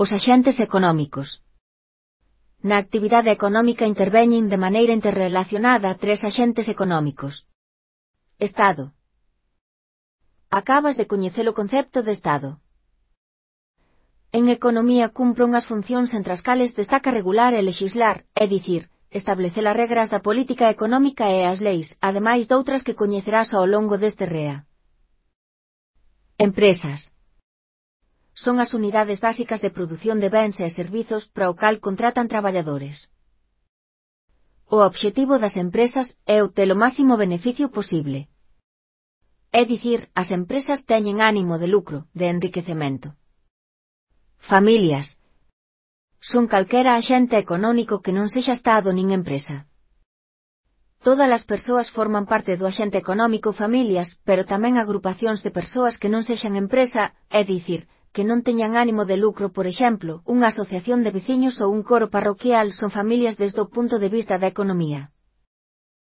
Os axentes económicos. Na actividade económica interveñen de maneira interrelacionada tres axentes económicos. Estado. Acabas de coñecer o concepto de Estado. En economía cumpre unhas funcións entre as cales destaca regular e lexislar, é dicir, establecer as regras da política económica e as leis, ademais doutras que coñecerás ao longo deste REA. Empresas. Son as unidades básicas de produción de bens e servizos para o cal contratan traballadores. O obxectivo das empresas é obter o máximo beneficio posible. É dicir, as empresas teñen ánimo de lucro, de enriquecemento. Familias. Son calquera axente económico que non sexa Estado nin empresa. Todas as persoas forman parte do axente económico familias, pero tamén agrupacións de persoas que non sexan empresa, é dicir, que non teñan ánimo de lucro, por exemplo, unha asociación de veciños ou un coro parroquial son familias desde o punto de vista da economía.